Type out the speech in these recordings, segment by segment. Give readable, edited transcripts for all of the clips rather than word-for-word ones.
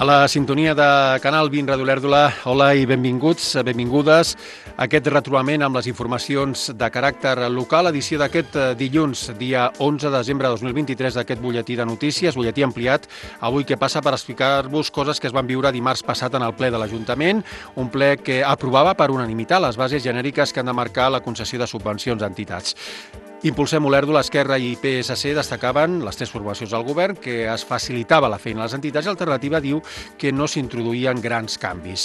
A la sintonia de Canal 20 Ràdio Olèrdola, hola i benvinguts, benvingudes a aquest retrobament amb les informacions de caràcter local, edició d'aquest dilluns, dia 11 de desembre de 2023, d'aquest butlletí de notícies, butlletí ampliat, avui que passa per explicar-vos coses que es van viure dimarts passat en el ple de l'Ajuntament, un ple que aprovava per unanimitat les bases genèriques que han de marcar la concessió de subvencions a entitats. Impulsem Olèrdola, Esquerra i PSC destacaven, les tres formacions del govern, que es facilitava la feina a les entitats i Alternativa diu que no s'introduïen grans canvis.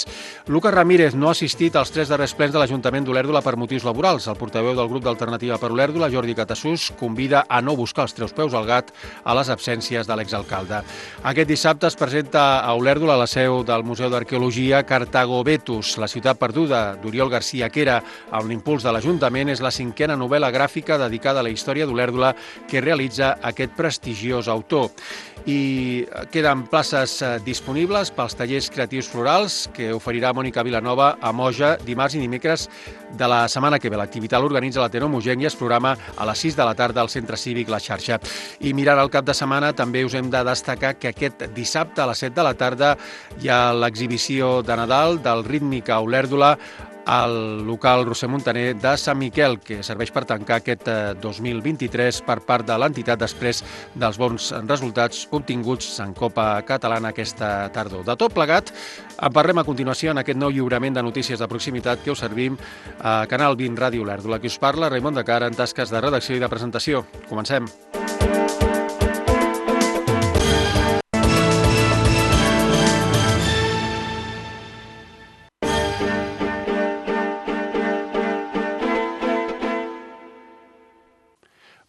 Lucas Ramírez no ha assistit als tres darrers plens de l'Ajuntament d'Olèrdola per motius laborals. El portaveu del grup d'Alternativa per Olèrdola, Jordi Catassús, convida a no buscar els treus peus al gat a les absències de l'exalcalde. Aquest dissabte es presenta a Olèrdola, a la seu del Museu d'Arqueologia, Cartago Vetus, la ciutat perduda d'Oriol García Quera, amb l'impuls de l'Ajuntament, és la cinquena novel·la gràfica dedicada a la història d'Olèrdola que realitza aquest prestigiós autor. I queden places disponibles pels tallers creatius florals que oferirà Mònica Vilanova a Moja dimarts i dimecres de la setmana que ve. L'activitat l'organitza l'Ateneu Mogenc i es programa a les 6 de la tarda al Centre Cívic La Xarxa. I mirant el cap de setmana també us hem de destacar que aquest dissabte a les 7 de la tarda hi ha l'exhibició de Nadal del Rítmica Olèrdola al local Roser Montaner de Sant Miquel, que serveix per tancar aquest 2023 per part de l'entitat després dels bons resultats obtinguts en Copa Catalana aquesta tardor. De tot plegat, en parlem a continuació en aquest nou lliurament de notícies de proximitat que us servim a Canal 20 Ràdio Olèrdola. Qui us parla, Raimon de Cara, en tasques de redacció i de presentació. Comencem.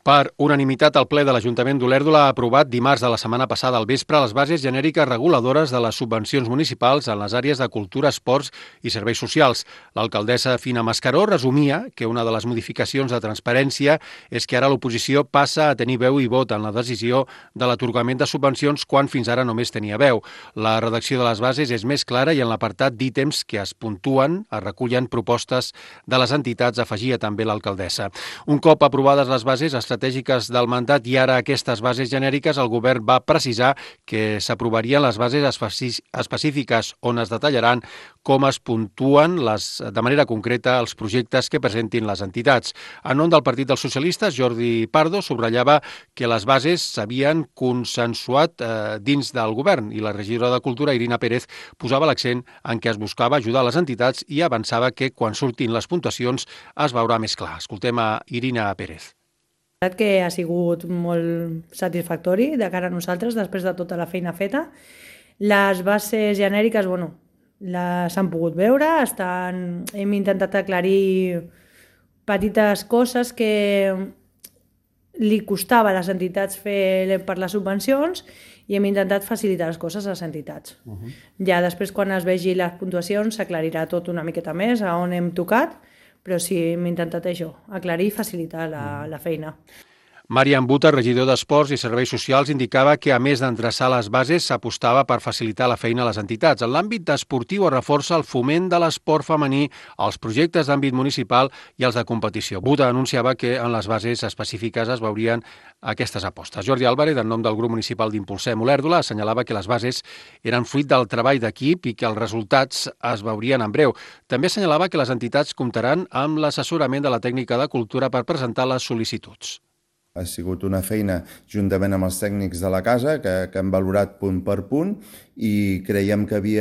Per unanimitat, el ple de l'Ajuntament d'Olèrdola ha aprovat dimarts de la setmana passada al vespre les bases genèriques reguladores de les subvencions municipals en les àrees de cultura, esports i serveis socials. L'alcaldessa Fina Mascaró resumia que una de les modificacions de transparència és que ara l'oposició passa a tenir veu i vot en la decisió de l'atorgament de subvencions quan fins ara només tenia veu. La redacció de les bases és més clara i en l'apartat d'ítems que es puntuen es recullen propostes de les entitats, afegia també l'alcaldessa. Un cop aprovades les bases estratègiques del mandat i ara aquestes bases genèriques, el govern va precisar que s'aprovarien les bases específiques on es detallaran com es puntuen de manera concreta els projectes que presentin les entitats. En nom del Partit dels Socialistes, Jordi Pardo subratllava que les bases s'havien consensuat dins del govern i la regidora de Cultura, Irina Pérez, posava l'accent en què es buscava ajudar les entitats i avançava que quan surtin les puntuacions es veurà més clar. Escoltem a Irina Pérez. Que ha sigut molt satisfactori de cara a nosaltres després de tota la feina feta. Les bases genèriques, les han pogut veure, hem intentat aclarir petites coses que li costava a les entitats fer per les subvencions i hem intentat facilitar les coses a les entitats. Ja després, quan es vegi les puntuacions, s'aclarirà tot una miqueta més a on hem tocat, però sí, hem intentat això, aclarir i facilitar la feina. Marian Buta, regidor d'Esports i Serveis Socials, indicava que, a més d'endreçar les bases, s'apostava per facilitar la feina a les entitats. En l'àmbit esportiu es reforça el foment de l'esport femení, els projectes d'àmbit municipal i els de competició. Buta anunciava que en les bases específiques es veurien aquestes apostes. Jordi Álvarez, en nom del grup municipal d'Impulsem Olèrdola, assenyalava que les bases eren fruit del treball d'equip i que els resultats es veurien en breu. També assenyalava que les entitats comptaran amb l'assessorament de la tècnica de cultura per presentar les sol·licituds. Ha sigut una feina juntament amb els tècnics de la casa que han valorat punt per punt i creiem que hi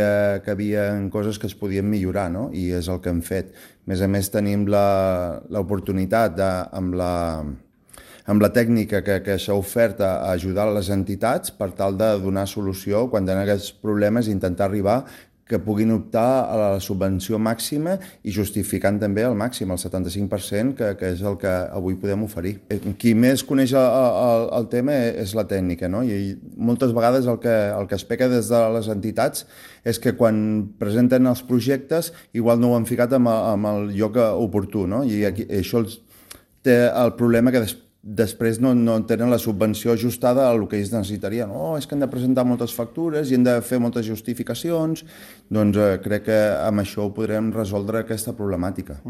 havia coses que es podien millorar, no? I és el que hem fet. A més, tenim l'oportunitat amb la tècnica que s'ha ofert a ajudar les entitats per tal de donar solució quan tenen aquests problemes i intentar arribar que puguin optar a la subvenció màxima i justificant també el màxim, el 75%, que és el que avui podem oferir. Qui més coneix el tema és la tècnica, no? I moltes vegades el que es peca des de les entitats és que quan presenten els projectes igual no ho han ficat amb el lloc oportú, no? I això té el problema que després no tenen la subvenció ajustada a el que ells necessitarien. És que han de presentar moltes factures i han de fer moltes justificacions. Doncs crec que amb això ho podrem resoldre aquesta problemàtica.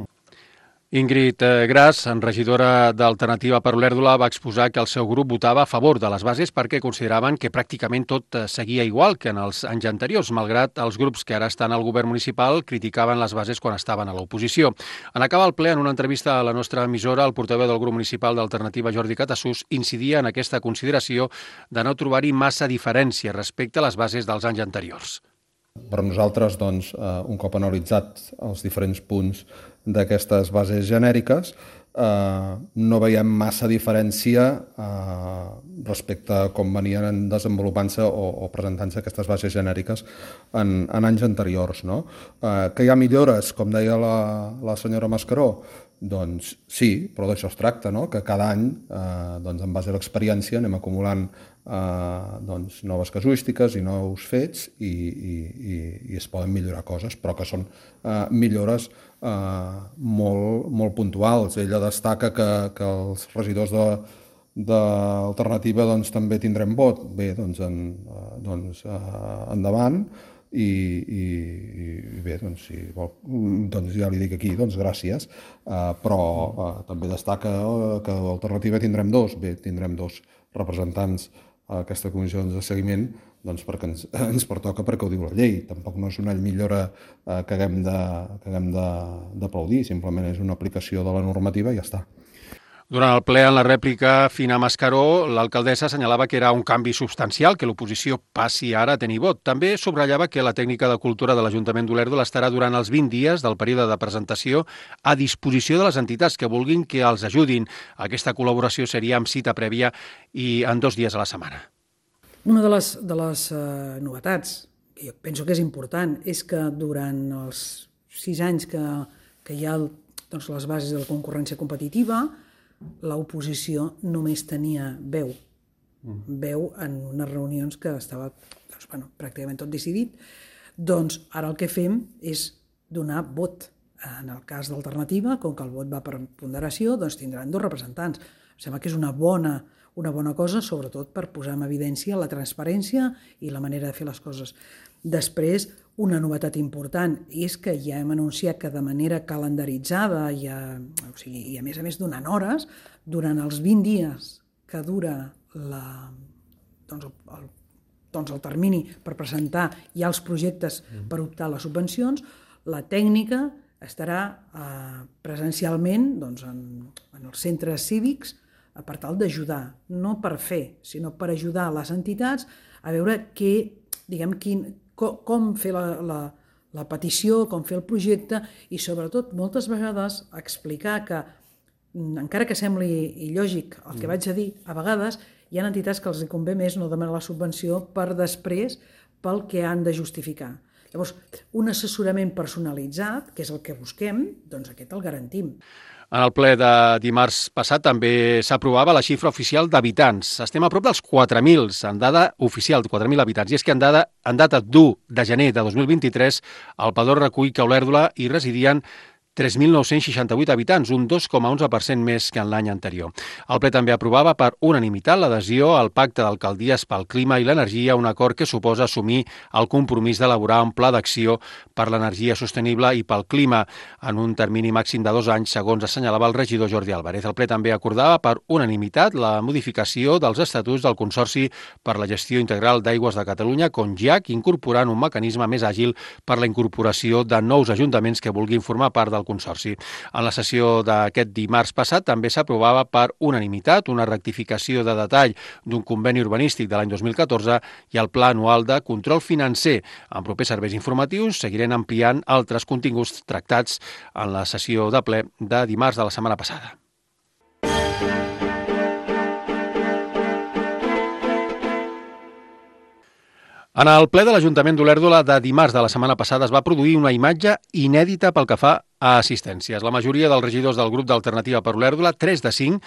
Ingrid Gras, regidora d'Alternativa per Olèrdola, va exposar que el seu grup votava a favor de les bases perquè consideraven que pràcticament tot seguia igual que en els anys anteriors, malgrat els grups que ara estan al govern municipal criticaven les bases quan estaven a l'oposició. En acabar el ple, en una entrevista a la nostra emissora, el portaveu del grup municipal d'Alternativa, Jordi Catassús, incidia en aquesta consideració de no trobar-hi massa diferència respecte a les bases dels anys anteriors. Per nosaltres, doncs, un cop analitzat els diferents punts d'aquestes bases genèriques, no veiem massa diferència respecte a com venien desenvolupant-se o presentant-se aquestes bases genèriques en anys anteriors. No? Que hi ha millores, com deia la senyora Mascaró? Doncs sí, però d'això es tracta, no? Que cada any, en base a l'experiència, anem acumulant noves casuístiques i nous fets i es poden millorar coses, però que són millores molt puntuals. Ella destaca que els regidors d'Alternativa també tindrem vot. Bé, endavant. I bé, si vol, ja li dic aquí, gràcies, però també destaca que l'Alternativa tindrem dos representants a aquesta comissió de seguiment, perquè ens pertoca, perquè ho diu la llei. Tampoc no és una millora que haguem d'aplaudir, simplement és una aplicació de la normativa i ja està. Durant el ple, en la rèplica Fina Mascaró, l'alcaldessa assenyalava que era un canvi substancial que l'oposició passi ara a tenir vot. També subratllava que la tècnica de cultura de l'Ajuntament d'Olèrdola estarà durant els 20 dies del període de presentació a disposició de les entitats que vulguin que els ajudin. Aquesta col·laboració seria amb cita prèvia i en 2 dies a la setmana. Una de les novetats, que jo penso que és important, és que durant els 6 anys que hi ha les bases de la concurrència competitiva, l'oposició només tenia veu en unes reunions que estava pràcticament tot decidit. Doncs ara el que fem és donar vot. En el cas d'Alternativa, com que el vot va per ponderació, tindran 2 representants. Em sembla que és una bona cosa, sobretot per posar en evidència la transparència i la manera de fer les coses. Després, una novetat important és que ja hem anunciat que de manera calendaritzada i a més donant hores, durant els 20 dies que dura el termini per presentar ja els projectes per optar a les subvencions, la tècnica estarà presencialment en els centres cívics per tal d'ajudar, no per fer, sinó per ajudar les entitats a veure com fer la petició, com fer el projecte i, sobretot, moltes vegades explicar que, encara que sembli il·lògic el que vaig a dir, a vegades hi ha entitats que els convé més no demanar la subvenció per després pel que han de justificar. Llavors, un assessorament personalitzat, que és el que busquem, aquest el garantim. En el ple de dimarts passat també s'aprovava la xifra oficial d'habitants. Estem a prop dels 4.000, en dada oficial, 4.000 habitants. I és que en data d'1 de gener de 2023, el Padró recull que a Olèrdola hi residien 3.968 habitants, un 2,11% més que en l'any anterior. El ple també aprovava per unanimitat l'adhesió al Pacte d'Alcaldies pel Clima i l'Energia, un acord que suposa assumir el compromís d'elaborar un pla d'acció per l'energia sostenible i pel clima en un termini màxim de 2 anys, segons assenyalava el regidor Jordi Álvarez. El ple també acordava per unanimitat la modificació dels estatuts del Consorci per la Gestió Integral d'Aigües de Catalunya, CONGIAC, incorporant un mecanisme més àgil per la incorporació de nous ajuntaments que vulguin formar part del Consorci. En la sessió d'aquest dimarts passat també s'aprovava per unanimitat una rectificació de detall d'un conveni urbanístic de l'any 2014 i el Pla Anual de Control Financer. En propers serveis informatius seguirem ampliant altres continguts tractats en la sessió de ple de dimarts de la setmana passada. En el ple de l'Ajuntament d'Olèrdola de dimarts de la setmana passada es va produir una imatge inèdita pel que fa a assistències. La majoria dels regidors del grup d'Alternativa per Olèrdola, 3 de 5,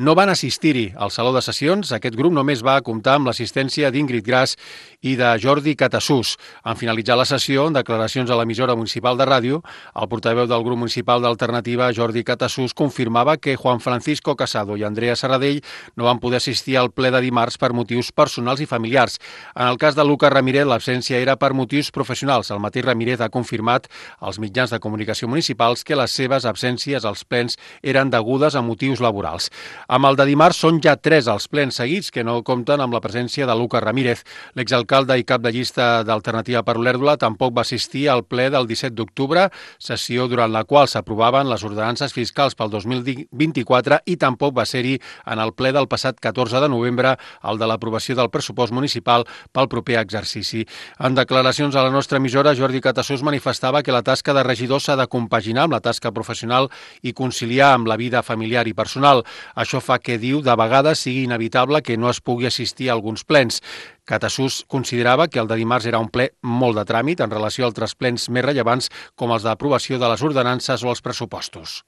no van assistir-hi al Saló de Sessions. Aquest grup només va comptar amb l'assistència d'Ingrid Gras i de Jordi Catassús. En finalitzar la sessió, en declaracions a l'emissora municipal de ràdio, el portaveu del grup municipal d'Alternativa, Jordi Catassús, confirmava que Juan Francisco Casado i Andrea Serradell no van poder assistir al ple de dimarts per motius personals i familiars. En el cas de Lucas Ramírez, l'absència era per motius professionals. El mateix Ramírez ha confirmat als mitjans de comunicació municipal municipals que les seves absències als plens eren degudes a motius laborals. Amb el de dimarts són ja 3 els plens seguits que no compten amb la presència de Lucas Ramírez. L'exalcalde i cap de llista d'Alternativa per Olèrdola tampoc va assistir al ple del 17 d'octubre, sessió durant la qual s'aprovaven les ordenances fiscals pel 2024 i tampoc va ser-hi en el ple del passat 14 de novembre, el de l'aprovació del pressupost municipal pel proper exercici. En declaracions a la nostra emissora, Jordi Catassús manifestava que la tasca de regidor s'ha de compaginar amb la tasca professional i conciliar amb la vida familiar i personal. Això fa que, diu, de vegades sigui inevitable que no es pugui assistir a alguns plens. Catassús considerava que el de dimarts era un ple molt de tràmit en relació a altres plens més rellevants com els d'aprovació de les ordenances o els pressupostos.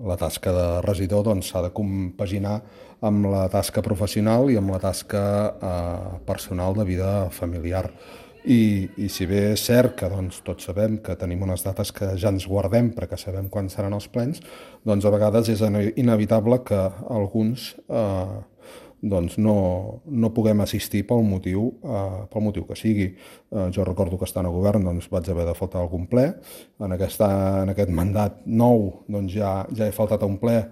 La tasca de regidor s'ha de compaginar amb la tasca professional i amb la tasca personal de vida familiar. I si bé és cert que tots sabem que tenim unes dates que ja ens guardem perquè sabem quan seran els plens, a vegades és inevitable que alguns no puguem assistir pel motiu que sigui. Jo recordo que estant a govern vaig haver de faltar algun ple. En aquest mandat nou ja he faltat a un ple.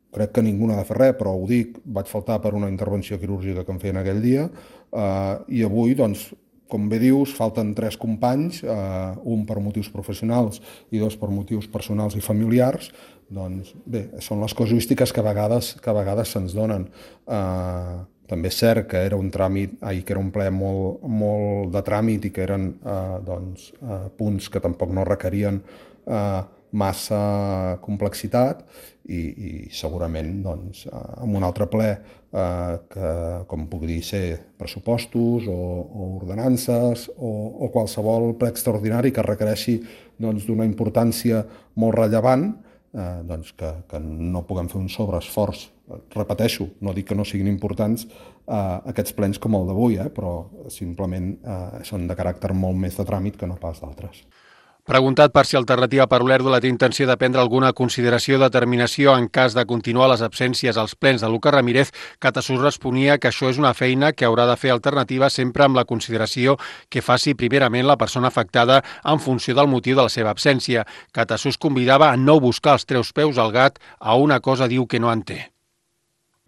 Crec que ningú n'ha de fer res, però ho dic, vaig faltar per una intervenció quirúrgica que em feien aquell dia, i avui, com bé dius, falten 3 companys, un per motius professionals i 2 per motius personals i familiars. Bé, són les casuístiques que a vegades se'ns donen. També és cert que era un ple molt de tràmit i que eren punts que tampoc no requerien massa complexitat i segurament en un altre ple com puc dir ser pressupostos o ordenances o qualsevol ple extraordinari que requereixi d'una importància molt rellevant, que no puguem fer un sobreesforç. Repeteixo, no dic que no siguin importants aquests plens com el d'avui, però simplement són de caràcter molt més de tràmit que no pas d'altres. Preguntat per si Alternativa per Olèrdola té intenció de prendre alguna consideració o determinació en cas de continuar les absències als plens de Lucas Ramírez, Catassús responia que això és una feina que haurà de fer Alternativa sempre amb la consideració que faci primerament la persona afectada en funció del motiu de la seva absència. Catassús convidava a no buscar els treus peus al gat a una cosa diu que no en té.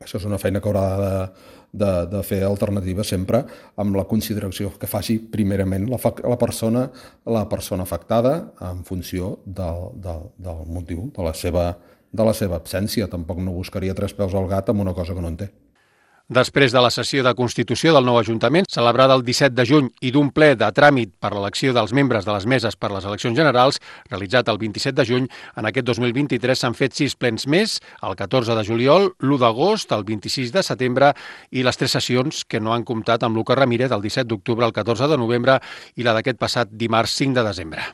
Això és una feina que haurà de fer Alternativa sempre amb la consideració que faci primerament la persona afectada en funció del motiu de la seva absència. Tampoc no buscaria 3 peus al gat amb una cosa que no en té. Després de la sessió de constitució del nou Ajuntament, celebrada el 17 de juny i d'un ple de tràmit per l'elecció dels membres de les meses per les eleccions generals, realitzat el 27 de juny, en aquest 2023 s'han fet 6 plens més, el 14 de juliol, l'1 d'agost, el 26 de setembre i les 3 sessions que no han comptat amb Lucas Ramírez el 17 d'octubre, el 14 de novembre i la d'aquest passat dimarts 5 de desembre.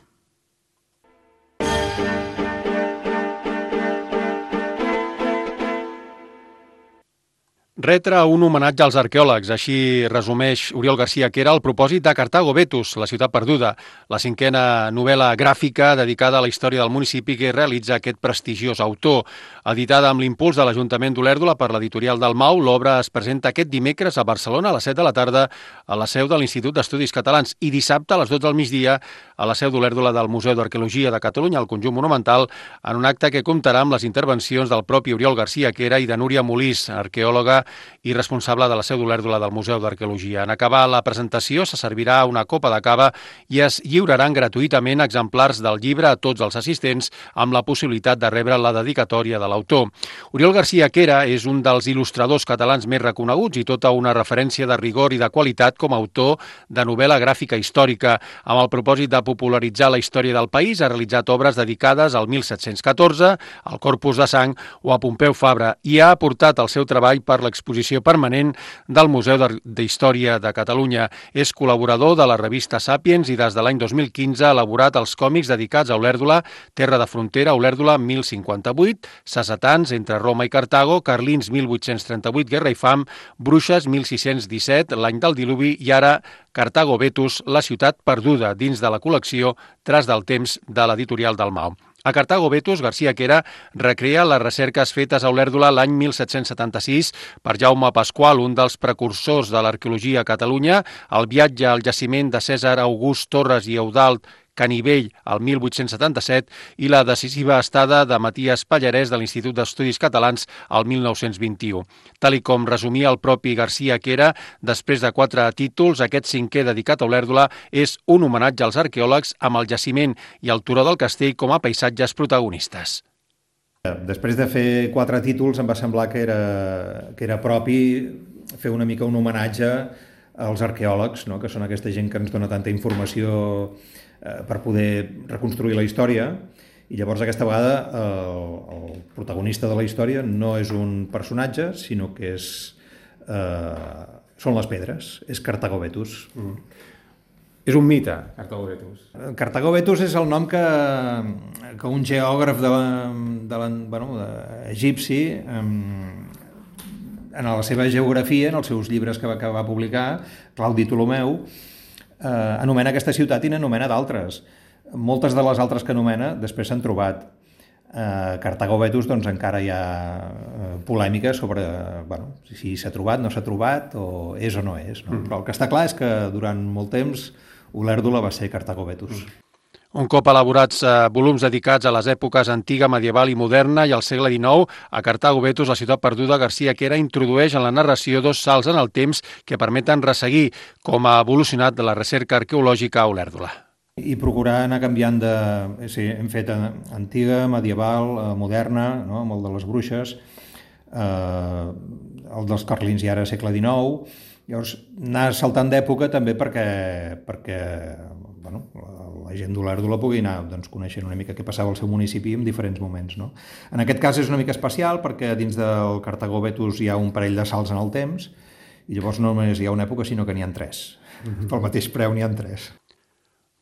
Retre un homenatge als arqueòlegs, així resumeix Oriol García Quera el propòsit de Cartago Vetus, la ciutat perduda, la 5a novel·la gràfica dedicada a la història del municipi que realitza aquest prestigiós autor. Editada amb l'impuls de l'Ajuntament d'Olèrdola per l'editorial Dalmau, l'obra es presenta aquest dimecres a Barcelona a les 7 de la tarda a la seu de l'Institut d'Estudis Catalans i dissabte a les 12 del migdia a la seu d'Olèrdola del Museu d'Arqueologia de Catalunya, al conjunt monumental, en un acte que comptarà amb les intervencions del propi Oriol García Quera i de Núria Molís, arqueòloga i responsable de la seu d'Olèrdola del Museu d'Arqueologia. En acabar la presentació se servirà una copa de cava i es lliuraran gratuïtament exemplars del llibre a tots els assistents amb la possibilitat de rebre la dedicatòria de l'autor. Oriol García Quera és un dels il·lustradors catalans més reconeguts i tota una referència de rigor i de qualitat com a autor de novel·la gràfica històrica. Amb el propòsit de popularitzar la història del país ha realitzat obres dedicades al 1714, al Corpus de Sang o a Pompeu Fabra i ha aportat el seu treball per l'exposició permanent del Museu d'Història de Catalunya. És col·laborador de la revista Sàpiens i des de l'any 2015 ha elaborat els còmics dedicats a Olèrdola, Terra de Frontera, Olèrdola 1058, Sassetans, entre Roma i Cartago, Carlins 1838, Guerra i Fam, Bruixes 1617, l'any del diluvi i ara Cartago Vetus, la ciutat perduda, dins de la col·lecció Traç del temps de l'editorial Dalmau. A Cartago Vetus, García Quera recrea les recerques fetes a Olèrdola l'any 1776 per Jaume Pasqual, un dels precursors de l'arqueologia a Catalunya, el viatge al jaciment de Cèsar August Torres i Eudald Canivell el 1877 i la decisiva estada de Matías Pallarès de l'Institut d'Estudis Catalans el 1921. Tal i com resumia el propi Garcia Quera, després de 4 títols, aquest 5è dedicat a Olèrdola és un homenatge als arqueòlegs amb el jaciment i el turó del castell com a paisatges protagonistes. Després de fer 4 títols em va semblar que era propi fer una mica un homenatge als arqueòlegs, no? Que són aquesta gent que ens dona tanta informació per poder reconstruir la història, i llavors aquesta vegada el protagonista de la història no és un personatge, sinó que són les pedres, és Cartago Vetus. És un mite, Cartago Vetus. Cartago Vetus és el nom que un geògraf egipci, en la seva geografia, en els seus llibres que va publicar, Claudi Ptolomeu, anomena aquesta ciutat i n'anomena d'altres. Moltes de les altres que anomena després s'han trobat. Cartago Vetus doncs encara hi ha polèmica sobre si s'ha trobat, no s'ha trobat, o és o no és. No? Però el que està clar és que durant molt temps Olèrdola va ser Cartago Vetus. Un cop elaborats volums dedicats a les èpoques antiga, medieval i moderna i al segle XIX, a Cartago Vetus, la ciutat perduda, Garcia Quera introdueix en la narració 2 salts en el temps que permeten resseguir com ha evolucionat la recerca arqueològica a Olèrdola. I procurar anar canviant de... hem fet antiga, medieval, moderna, no? Amb el de les bruixes, el dels carlins i ara segle XIX. Llavors, anar saltant d'època també perquè la gent d'Olèrdola pugui anar coneixent una mica què passava al seu municipi en diferents moments. No? En aquest cas és una mica especial perquè dins del Cartago Vetus hi ha un parell de salts en el temps i llavors no només hi ha una època, sinó que n'hi ha 3. Pel mateix preu n'hi ha 3.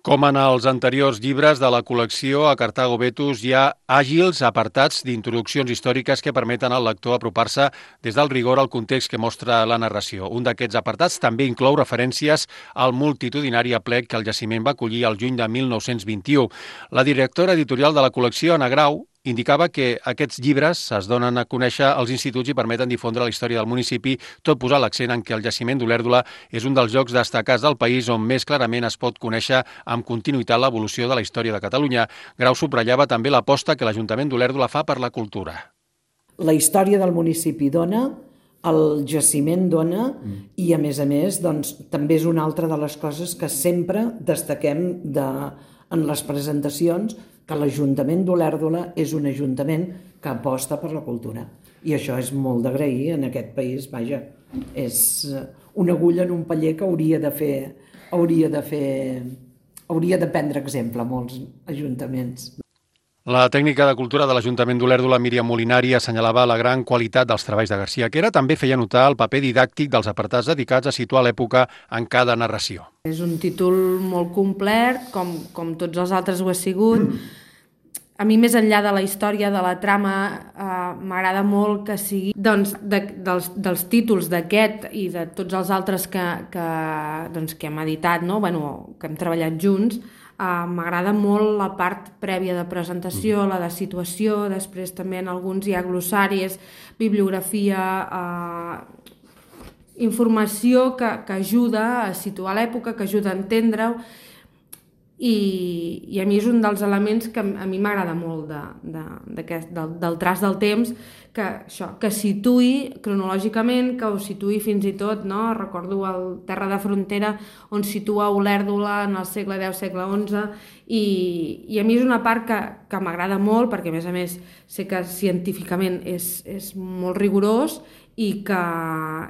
Com en els anteriors llibres de la col·lecció, a Cartago Vetus hi ha àgils apartats d'introduccions històriques que permeten al lector apropar-se des del rigor al context que mostra la narració. Un d'aquests apartats també inclou referències al multitudinari aplec que el jaciment va acollir al juny de 1921. La directora editorial de la col·lecció, Anna Grau, indicava que aquests llibres es donen a conèixer als instituts i permeten difondre la història del municipi, tot posant l'accent en què el jaciment d'Olèrdola és un dels llocs destacats del país on més clarament es pot conèixer amb continuïtat l'evolució de la història de Catalunya. Grau subratllava també l'aposta que l'Ajuntament d'Olèrdola fa per la cultura. La història del municipi dona, el jaciment dona i, a més, també és una altra de les coses que sempre destaquem en les presentacions, que l'Ajuntament d'Olèrdola és un ajuntament que aposta per la cultura. I això és molt d'agrair en aquest país, vaja. És una agulla en un paller que hauria de prendre exemple a molts ajuntaments. La tècnica de cultura de l'Ajuntament d'Olèrdola, Míriam Molinari, assenyalava la gran qualitat dels treballs de Garcia Quera. També feia notar el paper didàctic dels apartats dedicats a situar l'època en cada narració. És un títol molt complet, com tots els altres ho ha sigut. A mi, més enllà de la història, de la trama, m'agrada molt que sigui dels títols d'aquest i de tots els altres que hem editat, no? Que hem treballat junts. M'agrada molt la part prèvia de presentació, la de situació, després també en alguns hi ha glossaris, bibliografia, informació que ajuda a situar l'època, que ajuda a entendre-ho, i a mi és un dels elements que a mi m'agrada molt del traç del temps, que situï cronològicament, que ho situï fins i tot, no? Recordo el Terra de Frontera, on situa Olèrdola en el segle X, segle XI, i a mi és una part que m'agrada molt, perquè a més sé que científicament és molt rigorós i que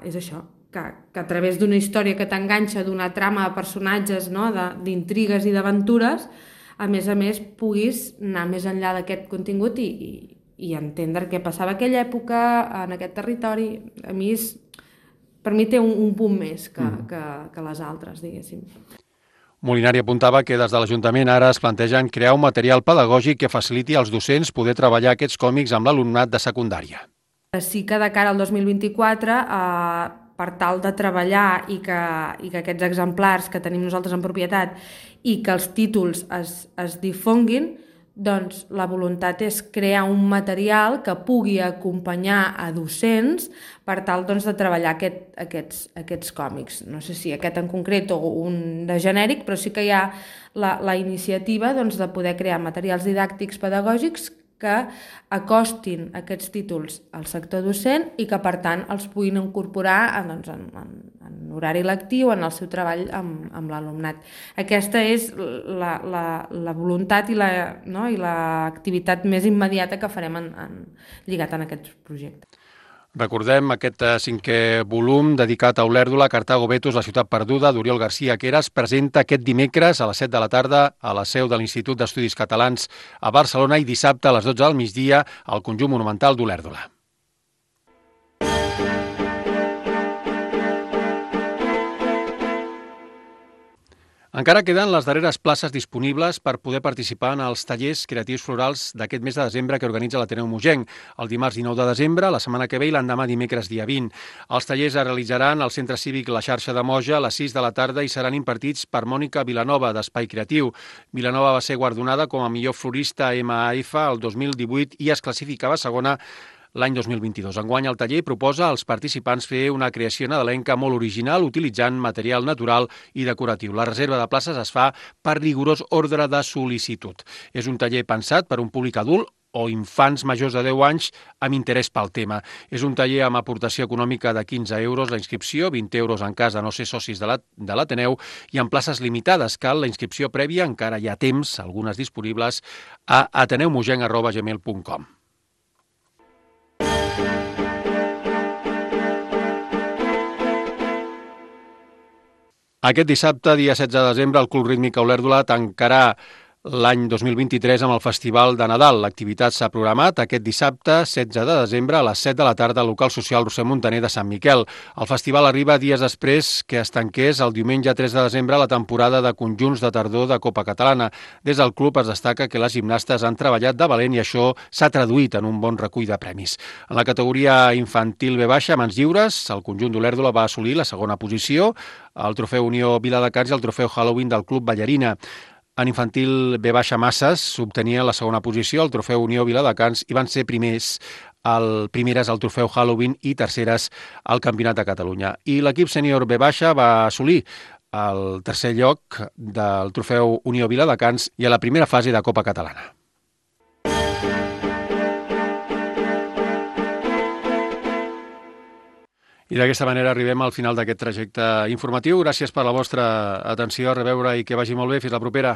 és això, que a través d'una història que t'enganxa, d'una trama de personatges, no? D'intrigues i d'aventures, a més puguis anar més enllà d'aquest contingut i entendre què passava a aquella època, en aquest territori. A mi per mi té un punt més que les altres, diguéssim. Molinari apuntava que des de l'Ajuntament ara es plantegen crear un material pedagògic que faciliti als docents poder treballar aquests còmics amb l'alumnat de secundària. Sí que de cara al 2024, per tal de treballar i que aquests exemplars que tenim nosaltres en propietat i que els títols es difonguin, doncs la voluntat és crear un material que pugui acompanyar a docents per tal doncs, de treballar aquests còmics. No sé si aquest en concret o un de genèric, però sí que hi ha la iniciativa doncs, de poder crear materials didàctics pedagògics que acostin aquests títols al sector docent i que, per tant, els puguin incorporar en horari lectiu, en el seu treball amb l'alumnat. Aquesta és la voluntat i l'activitat més immediata que farem lligat en aquest projecte. Recordem aquest 5è volum dedicat a Olèrdola, Cartago Betos, la ciutat perduda, d'Oriol García, que es presenta aquest dimecres a les 7 de la tarda a la seu de l'Institut d'Estudis Catalans a Barcelona i dissabte a les 12 del migdia al Conjunt Monumental d'Olèrdola. Encara queden les darreres places disponibles per poder participar en els tallers creatius florals d'aquest mes de desembre que organitza l'Ateneu Mogenc, el dimarts 19 de desembre, la setmana que ve i l'endemà dimecres dia 20. Els tallers es realitzaran al Centre Cívic La Xarxa de Moja a les 6 de la tarda i seran impartits per Mònica Vilanova, d'Espai Creatiu. Vilanova va ser guardonada com a millor florista MAF el 2018 i es classificava segona l'any 2022. Enguany el taller proposa als participants fer una creació nadalenca molt original utilitzant material natural i decoratiu. La reserva de places es fa per rigorós ordre de sol·licitud. És un taller pensat per un públic adult o infants majors de 10 anys amb interès pel tema. És un taller amb aportació econòmica de 15 euros la inscripció, 20 euros en cas de no ser socis de l'Ateneu i amb places limitades. Cal la inscripció prèvia, encara hi ha temps, algunes disponibles, a ateneumogenc@gmail.com. Aquest dissabte, dia 16 de desembre, el Club Rítmic Olèrdola tancarà l'any 2023 amb el Festival de Nadal. L'activitat s'ha programat aquest dissabte, 16 de desembre, a les 7 de la tarda al local social Roser Montaner de Sant Miquel. El festival arriba dies després que es tanqués el diumenge 3 de desembre la temporada de conjunts de tardor de Copa Catalana. Des del club es destaca que les gimnastes han treballat de valent i això s'ha traduït en un bon recull de premis. En la categoria infantil B baixa, mans lliures, el conjunt d'Olèrdola va assolir la segona posició, el trofeu Unió Viladecans i el trofeu Halloween del Club Ballarina. En infantil B baixa masses s'obtenia la segona posició, el trofeu Unió Viladecans, i van ser primeres al trofeu Halloween i terceres al Campionat de Catalunya. I l'equip sènior B baixa va assolir el tercer lloc del trofeu Unió Viladecans i a la primera fase de Copa Catalana. I d'aquesta manera arribem al final d'aquest trajecte informatiu. Gràcies per la vostra atenció, a reveure i que vagi molt bé. Fins la propera.